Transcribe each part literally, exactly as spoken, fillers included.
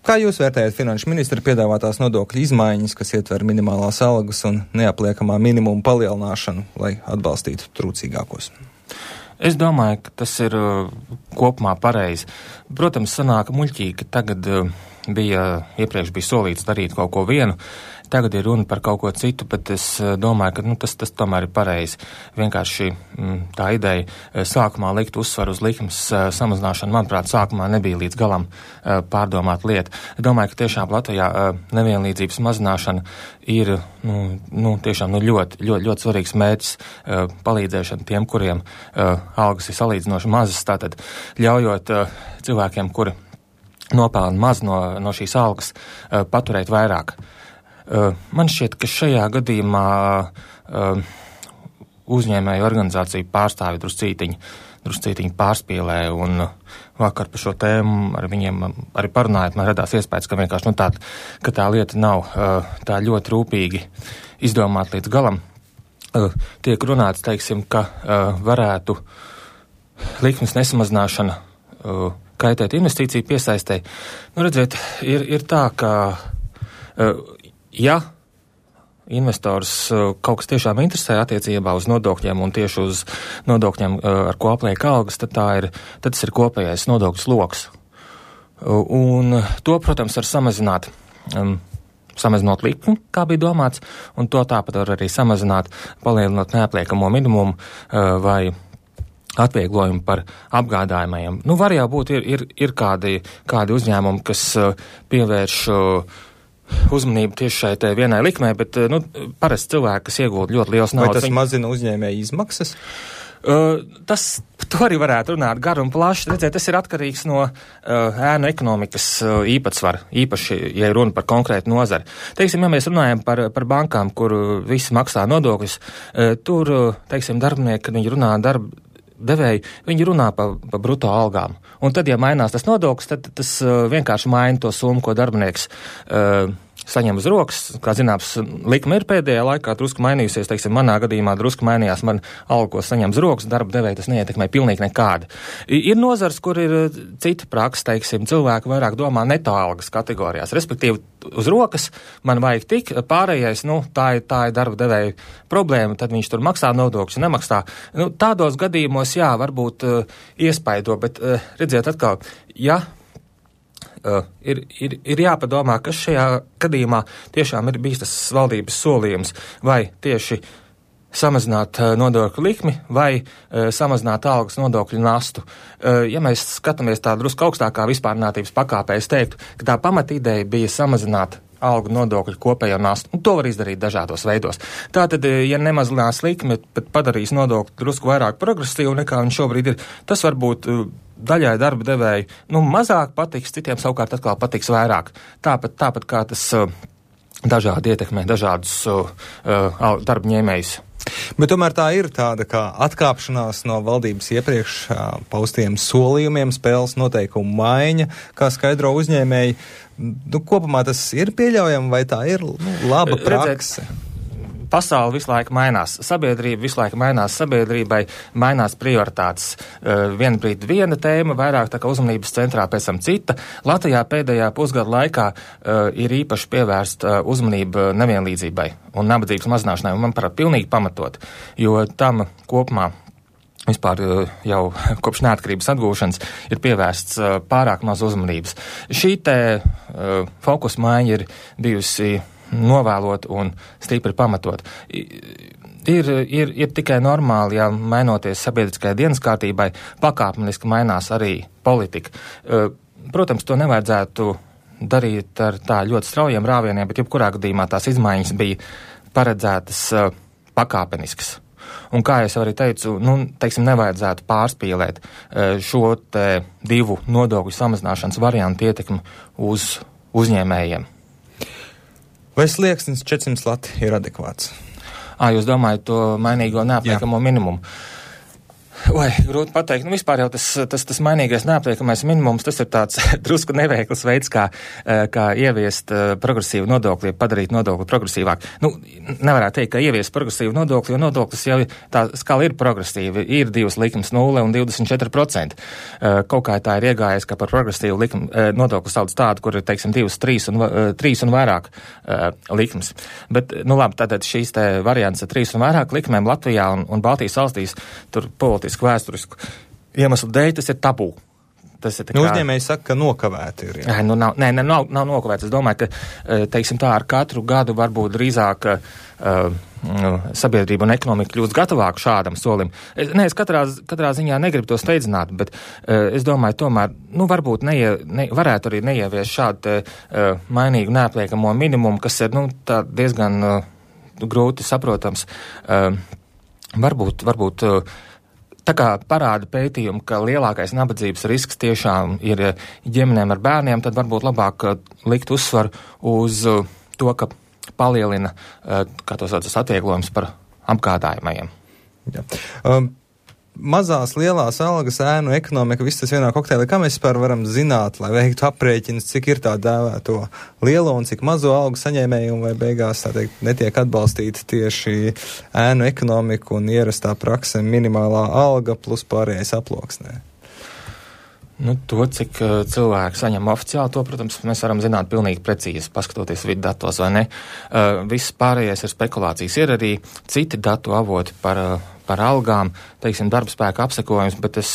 Kā jūs vērtējat finanšu ministra piedāvātās nodokļu izmaiņas, kas ietver minimālās algas un neapliekamā minimuma palielināšanu, lai atbalstītu trūcīgākos? Es domāju, ka tas ir uh, kopumā pareizi. Protams, sanāk muļķīgi, ka tagad uh, bija, iepriekš bija solīts darīt kaut ko vienu, tagad ir runa par kaut ko citu, bet es uh, domāju, ka nu, tas, tas tomēr ir pareizi. Vienkārši mm, tā ideja uh, sākumā likt uzsvaru uz likmes uh, samazināšanu, manuprāt, sākumā nebija līdz galam uh, pārdomāt lieta. Es domāju, ka tiešām Latvijā uh, nevienlīdzības mazināšana ir nu, nu, tiešām nu, ļoti, ļoti, ļoti svarīgs mērķis uh, palīdzēšana tiem, kuriem uh, algas ir salīdzinoši mazas, tātad ļaujot uh, cilvēkiem, kuri nopelna maz no, no šīs algas, uh, paturēt vairāk. Uh, man šķiet, ka šajā gadījumā uh, uzņēmēju organizāciju pārstāvi druscītiņi, druscītiņi pārspīlē, un uh, vakar par šo tēmu ar viņiem arī parunājot, man radās iespējas, ka vienkārši nu, tā, ka tā lieta nav uh, tā ļoti rūpīgi izdomāt līdz galam. Uh, tiek runāts, teiksim, ka uh, varētu likmes nesamazināšana uh, kaitēt investīciju piesaistē. Nu, redziet, ir, ir tā, ka uh, ja investors uh, kaut kas tiešām interesē attiecībā uz nodokļiem un tieši uz nodokļiem, uh, ar ko apliek algas, tad, tā ir, tad tas ir kopējais nodokļu sloks. Uh, un to, protams, var samazināt, um, samazinot likmi, kā bija domāts, un to tāpat var arī samazināt, palielinot neapliekamo minimumu uh, vai atvieglojumu par apgādājumajiem. Nu, var jau būt, ir, ir, ir kādi, kādi uzņēmumi, kas uh, pievērš uh, uzmanību tieši šai te vienai likmē, bet, nu, parasti cilvēki, kas iegūda ļoti liels naudas. Vai tas viņi... mazina uzņēmēju izmaksas? Uh, tas, to arī varētu runāt garu un plaši. Redziet, tas ir atkarīgs no uh, ēnu ekonomikas uh, īpatsvara, īpaši, ja runa par konkrētu nozari. Teiksim, ja mēs runājam par, par bankām, kur visi maksā nodokļus, uh, tur, uh, teiksim, darbinieki, kad viņi runā darba devēji, viņi runā pa, pa bruto algām. Un tad, ja mainās tas nodoklis, tad tas uh, vienkārši maina to summu, ko darbinieks uh, saņem uz rokas. Kā zināms, likme ir pēdējā laikā drusku mainījusies, teiksim, manā gadījumā drusku mainījās man alga, ko saņem uz rokas, darba devēja tas neietekmē pilnīgi nekādi. Ir nozars, kur ir cita praksa, teiksim, cilvēki vairāk domā neto algas kategorijās, respektīvi uz rokas man vajag tik, pārējais, nu, tā ir, tā ir darba devēja problēma, tad viņš tur maksā nodokļus, nemaksā. Nu, tādos gadījumos, jā, varbūt uh, iespaido, bet uh, redziet atkal, ja Uh, ir, ir, ir jāpadomā, kas šajā gadījumā tiešām ir bijis tas valdības solījums, vai tieši samazināt uh, nodokļu likmi, vai uh, samazināt algas nodokļu nastu. Uh, ja mēs skatāmies tā drusku augstākā vispārnātības pakāpē, es teiktu, ka tā pamatīdeja bija samazināt algu nodokļu kopējo nastu. Un to var izdarīt dažādos veidos. Tātad, ja nemazinās likmi, bet padarīs nodokļu drusku vairāk progresīvu nekā viņš šobrīd ir, tas varbūt uh, daļai darba devēji, nu, mazāk patiks, citiem savukārt atkal patiks vairāk. Tāpat, tāpat kā tas uh, dažādi ietekmē dažādus uh, uh, darba ņēmējus. Bet tomēr tā ir tāda kā atkāpšanās no valdības iepriekš uh, paustiem solījumiem, spēles noteikumu maiņa, kā skaidro uzņēmēji. Nu, kopumā tas ir pieļaujami, vai tā ir nu, laba prakse? Redzēt, pasauli visu laiku mainās, sabiedrība visu laiku mainās, sabiedrībai mainās prioritātes. Uh, viena brīdi viena tēma, vairāk tā kā uzmanības centrā, pēc tam cita. Latvijā pēdējā pusgada laikā uh, ir īpaši pievērsta uh, uzmanība nevienlīdzībai un nabadzības mazināšanai, un man parāda pilnīgi pamatot, jo tam kopumā vispār jau kopš neatkarības atgūšanas ir pievērsts uh, pārāk maz uzmanības. Šī te uh, fokus maiņa ir bijusi novēlot un stipri pamatot. Ir, ir, ir tikai normāli, ja mainoties sabiedriskajai dienas kārtībai, pakāpeniski mainās arī politika. Protams, to nevajadzētu darīt ar tā ļoti straujiem rāvieniem, bet jebkurā gadījumā tās izmaiņas bija paredzētas pakāpeniskas. Un kā es arī teicu, nu, teiksim, nevajadzētu pārspīlēt šo te divu nodokļu samazināšanas variantu ietekmi uz uzņēmējiem. Vai slieksnis četrsimt lati ir adekvāts? Ā, jūs domājat to mainīgo neapliekamo minimumu? Vai, grūti pateikt. Nu, vispār jau tas, tas, tas mainīgais neapliekamais minimums, tas ir tāds drusku neveikls veids, kā, kā ieviest progresīvu nodokli, padarīt nodokli progresīvāk. Nu, nevarētu teikt, ka ieviest progresīvu nodokli, jo nodoklis jau tā skala ir progresīva. Ir divas likums nulle un divdesmit četri procenti. Kaut kā tā ir iegājies, ka par progresīvu likumu nodokli sauc tādu, kur ir, teiksim, divas, trīs un, trīs un vairāk likums. Bet, nu labi, tātad šīs te variants ar trīs un vairāk likumiem Latvijā un, un Baltijas valstīs tur politiski vēsturisku iemeslu dēļ tas ir tabū. Tas ir tā kā... Nu, uzņēmēji saka, ka nokavēti ir. Jā. Nu, nav, nē, nav, nav nokavēts. Es domāju, ka, teiksim tā, ar katru gadu varbūt drīzāk uh, sabiedrība un ekonomika kļūst gatavāk šādam solim. Es, nē, es katrā, katrā ziņā negribu to steidzināt, bet uh, es domāju, tomēr, nu, varbūt neie, ne, varētu arī neievies šādu uh, mainīgu neapliekamo minimumu, kas ir, nu, tā diezgan uh, grūti saprotams. Uh, varbūt, varbūt uh, Tā kā parāda pētījumi, ka lielākais nabadzības risks tiešām ir ģimenēm ar bērniem, tad varbūt labāk likt uzsvaru uz to, ka palielina, kā to sauc, atvieglojums par apgādājumajiem. Jā. Um. Mazās, lielās algas, ēnu ekonomika, viss tas vienā kokteilī. Kā mēs vispār varam zināt, lai veiktu aprēķinus, cik ir tā dēvēto lielo un cik mazo algu saņēmēju, un vai beigās, tā teikt, netiek atbalstīta tieši ēnu ekonomika un ierastā prakse minimālā alga plus pārējais aploksnē? Nu, to, cik uh, cilvēki saņem oficiāli, to, protams, mēs varam zināt pilnīgi precīzi, paskatoties vidu datos vai ne. Uh, viss pārējais ir spekulācijas. Ir arī citi datu avoti par, uh, par algām, teiksim, darbspēka apsekojums, bet es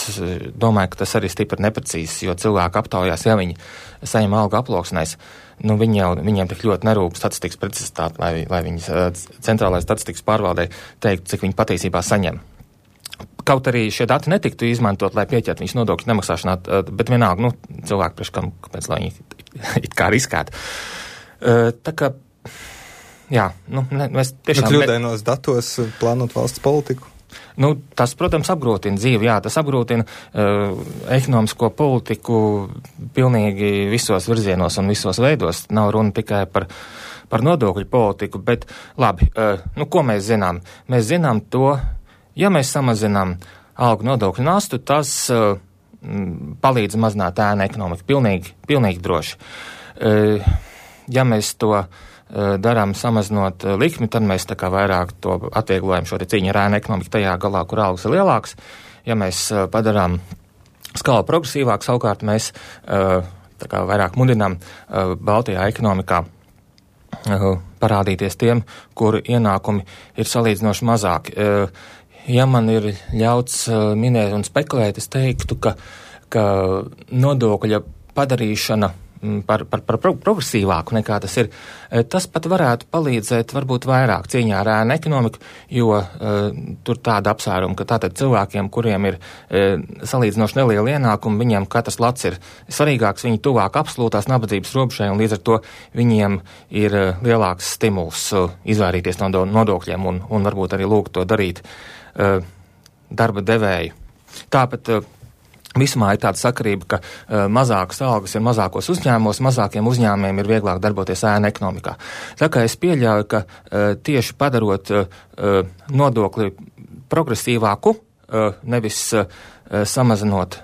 domāju, ka tas arī stipri neprecīzs, jo cilvēki aptaujās, ja viņi saņem algu aploksnēs, nu, viņi jau, viņiem tik ļoti nerūp statistikas precizitāti, lai, lai viņi uh, centrālais statistikas pārvaldē teiktu, cik viņi patiesībā saņem. Kaut arī šie dati netiktu izmantot, lai pieķertu viņus nodokļu nemaksāšanā, bet vienalga, nu, cilvēki priekš kam, kāpēc, lai viņi it kā riskētu. Tā kā, jā, nu, ne, mēs tiešām... Nu, kļūdainos datos plānot valsts politiku? Nu, tas, protams, apgrūtina dzīvi, jā, tas apgrūtina uh, ekonomisko politiku pilnīgi visos virzienos un visos veidos. Nav runa tikai par, par nodokļu politiku, bet labi, uh, nu, ko mēs zinām? Mēs zinām to, ja mēs samazinām algu nodokļu nastu, tas uh, palīdz mazināt ēnu ekonomiku. Pilnīgi, pilnīgi droši. Uh, ja mēs to uh, darām samazinot uh, likmi, tad mēs tā kā vairāk to atvieglojam šo te cīņu ar ēnu ekonomiku tajā galā, kur algas ir lielāks. Ja mēs uh, padarām skalu progresīvāk, savukārt mēs uh, tā kā vairāk mudinām uh, Baltijā ekonomikā uh, parādīties tiem, kuru ienākumi ir salīdzinoši mazāki. Uh, Ja man ir ļauts uh, minēt un spekulēt, es teiktu, ka, ka nodokļa padarīšana m, par, par, par progresīvāku nekā tas ir, tas pat varētu palīdzēt varbūt vairāk cīņā ar ēnu ekonomiku, jo uh, tur tāda apsvēruma, ka tātad cilvēkiem, kuriem ir uh, salīdzinoši neliela ienākuma, viņiem katrs lats ir svarīgāks, viņi tuvāk absolūtās nabadzības robežai, un līdz ar to viņiem ir uh, lielāks stimuls uh, izvairīties no nodokļiem un, un varbūt arī lūgt to darīt uh, darba devēju. Tāpat uh, vismā ir tāda sakarība, ka uh, mazākas algas ir mazākos uzņēmumos, mazākiem uzņēmumiem ir vieglāk darboties ēnu ekonomikā. Tā kā es pieļauju, ka uh, tieši padarot uh, nodokli progresīvāku, uh, nevis uh, samazinot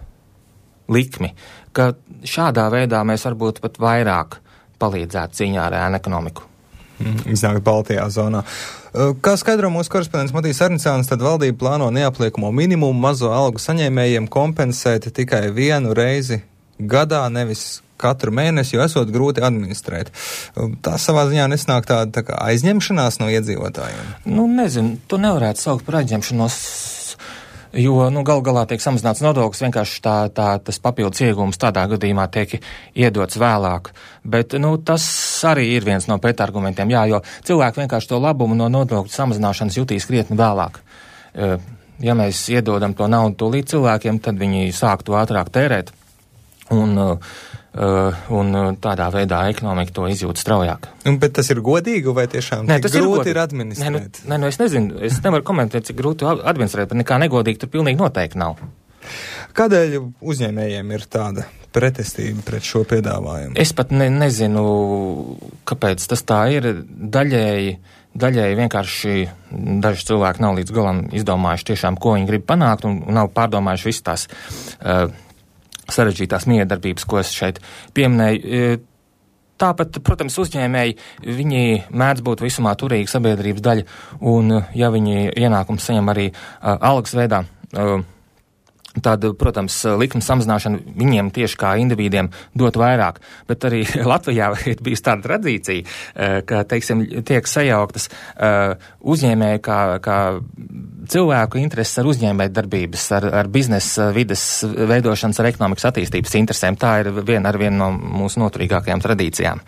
likmi, ka šādā veidā mēs varbūt pat vairāk palīdzētu cīņā ar ēnu ekonomiku. Iznākt Baltijā zonā. Kā skaidro mūsu korespondents Matīs Arnicāns, tad valdība plāno neapliekamo minimumu mazo algu saņēmējiem kompensēt tikai vienu reizi gadā, nevis katru mēnesi, jo esot grūti administrēt. Tā savā ziņā nesnāk tāda tā kā aizņemšanās no iedzīvotājiem? Nu, nezinu, to nevarētu saukt par aizņemšanos, jo, nu, gal galā tiek samazināts nodoklis, vienkārši tā, tā, tas papildus iegūms tādā gadījumā tiek iedots vēlāk. Bet, nu, tas arī ir viens no pretargumentiem, jā, jo cilvēki vienkārši to labumu no nodokļu samazināšanas jutīs krietni vēlāk. Ja mēs iedodam to naudu tūlīt cilvēkiem, tad viņi sāk to ātrāk tērēt, un, un tādā veidā ekonomika to izjūt straujāk. Un, bet tas ir godīgi, vai tiešām Nē, tik grūti ir, ir administrēt? Nē, nu, nu, es nezinu, es nevaru komentēt, cik grūti administrēt, bet nekā negodīgi tur pilnīgi noteikti nav. Kādēļ uzņēmējiem ir tāda pretestība pret šo piedāvājumu? Es pat ne, nezinu, kāpēc tas tā ir. Daļēji daļēji vienkārši daži cilvēki nav līdz galam izdomājuši tiešām, ko viņi grib panākt, un nav pārdomājuši visas tās uh, sarežģītās miedarbības, ko es šeit pieminēju. Tāpat, protams, uzņēmēji, viņi mēdz būt visumā turīga sabiedrības daļa, un ja viņi ienākums saņem arī uh, algas veidā, uh, tad, protams, likuma samazināšana viņiem tieši kā individiem dot vairāk, bet arī Latvijā ir bijusi tāda tradīcija, ka, teiksim, tiek sajauktas uzņēmēji kā, kā cilvēku intereses ar uzņēmēju darbības, ar, ar biznesa vides veidošanas, ar ekonomikas attīstības interesēm. Tā ir viena ar vienu no mūsu noturīgākajām tradīcijām.